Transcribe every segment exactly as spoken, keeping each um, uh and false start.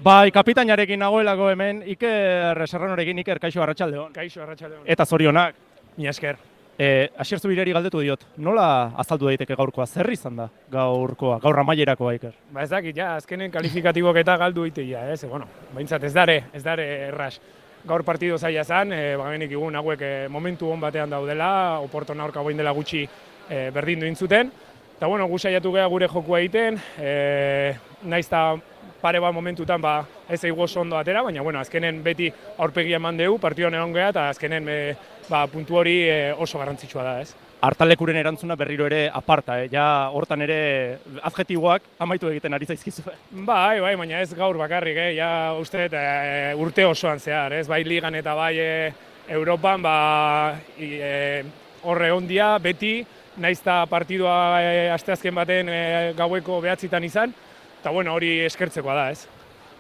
Bai, kapitainarekin nagoelako hemen, Iker Serranorekin, Iker, kaixo arratsaldeon. Kaixo arratsaldeon. Eta zorionak. Mila esker. E, Asier Zubiriari galdetu diot, nola azaldu daiteke gaurkoa? Zer izan da gaurkoa, gaur amaierakoa, Iker? Ba ez dakit, ja, azkenen kalifikatibok eta galdu iteia, ez? Bueno, behintzat ez dare, ez dare erras. Gaur partido zaila zan, e, bagenik igun hauek e, momentu hon batean daudela, Oporton aurka boin dela gutxi e, berdin duin zuten. Eta bueno, gu saiatu geha gure jokua egiten, e, naiz eta pare bat momentutan ba, ez eigu oso ondo atera, baina bueno, azkenen beti aurpegia eman dugu, partioan egon geha, eta azkenen e, ba, puntu hori e, oso garrantzitsua da, ez? Artalekuren erantzuna berriro ere aparta, eh? Ja hortan ere adjetiboak amaitu egiten ari zaizkizu. Bai, bai, baina ez gaur bakarrik, eh? Ja uste dut e, urte osoan zehar, ez? Bai ligan eta bai e, Europan, ba, e, horre ondia, beti, naiz eta partidua e, asteazken baten e, gaueko behatzitan izan, eta bueno, hori eskertzekoa da, ez?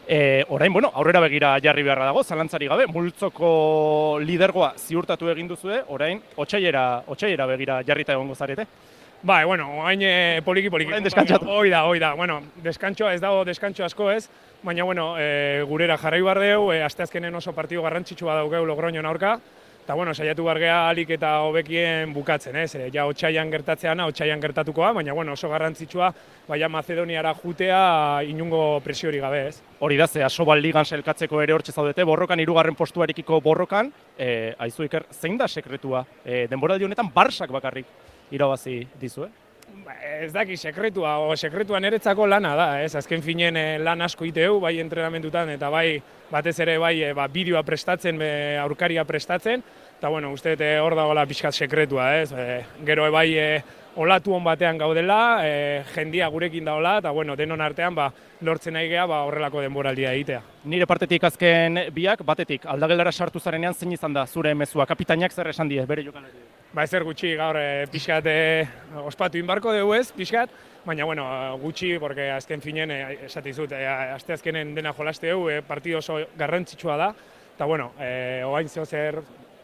E, orain, bueno, aurrera begira jarri beharra dago, zalantzari gabe, multzoko lidergoa ziurtatu egin duzue, orain, otsailera, otsailera begira jarrita egongo zarete. Bai, bueno, orain e, poliki poliki. Orain deskantsatu. Hoi da, hoi da. Bueno, deskantxoa ez dago deskantxo asko ez, baina bueno, e, gurera jarrai behar dugu, e, asteazkenen oso partido garrantzitsua daukeu Logroñon aurka. Eta bueno, saiatu bargea alik eta hobekien bukatzen, ez? E, ja otsaian gertatzeana, otsaian gertatukoa, baina bueno, oso garrantzitsua baina Mazedoniara jutea inungo presiori gabe, ez? Hori da, ze Asobal ligan selkatzeko ere hortxe zaudete, borrokan, hirugarren postuarekiko borrokan, e, aizu Iker, zein da sekretua? E, denboraldi honetan Barsak bakarrik irabazi dizu, eh? Ba, ez daki sekretua, o sekretua niretzako lana da, ez? Azken finen e, lan asko iteu, bai entrenamentutan eta bai batez ere bai e, ba, bideoa prestatzen, be, aurkaria prestatzen, eta bueno, uste dut hor dagoela pixkat sekretua, ez? E, gero e, bai e, olatu hon batean gaudela, e, jendia gurekin daola, eta bueno, denon artean ba, lortzen nahi geha ba, horrelako denboraldia egitea. Nire partetik azken biak, batetik, aldageldara sartu zarenean zein izan da zure mezua, kapitainak zer esan die, bere jokalari? Ba ezer gutxi gaur e, pixkat e, ospatu inbarko dugu ez, pixkat, baina bueno, gutxi, porque azken finen, e, esatizut, e, aste azkenen dena jolaste dugu, e, partido oso garrantzitsua da, eta bueno, e, oain zeo zer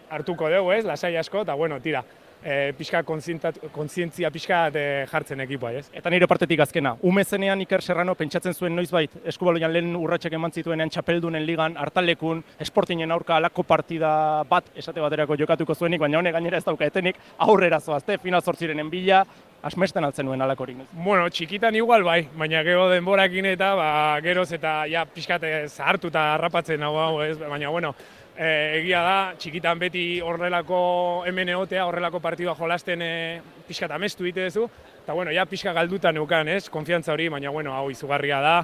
hartuko dugu ez, lasai asko, eta bueno, tira, e, pixka kontzientzia pixka e, jartzen ekipoa, ez? Eta nire partetik azkena, ume zenean Iker Serrano pentsatzen zuen noizbait, Eskubaloian lehen urratsak eman zituenean txapeldunen ligan, Artalekun, Sportingen aurka alako partida bat esate baterako jokatuko zuenik, baina honek gainera ez dauka etenik aurrera zoazte, final zortzirenen bila, asmesten altzen nuen alakorik. Bueno, txikitan igual bai, baina gero denborakin eta ba, geroz eta ja pixkate zahartu eta harrapatzen hau hau ez, baina bueno, E, egia da, txikitan beti horrelako hemen egotea, horrelako partidua jolasten e, pixka eta amestu dite duzu, eta bueno, ja pixka galduta neukan, ez, konfiantza hori, baina bueno, hau izugarria da,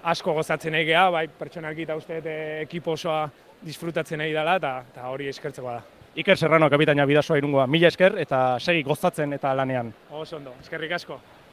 asko gozatzen nahi geha, bai pertsonalki eta uste dut ekipo osoa disfrutatzen nahi dela, eta hori eskertzeko da. Iker Serrano, kapitaina Bidasoa Irungoa, mila esker eta segi gozatzen eta lanean. Oso ondo, eskerrik asko.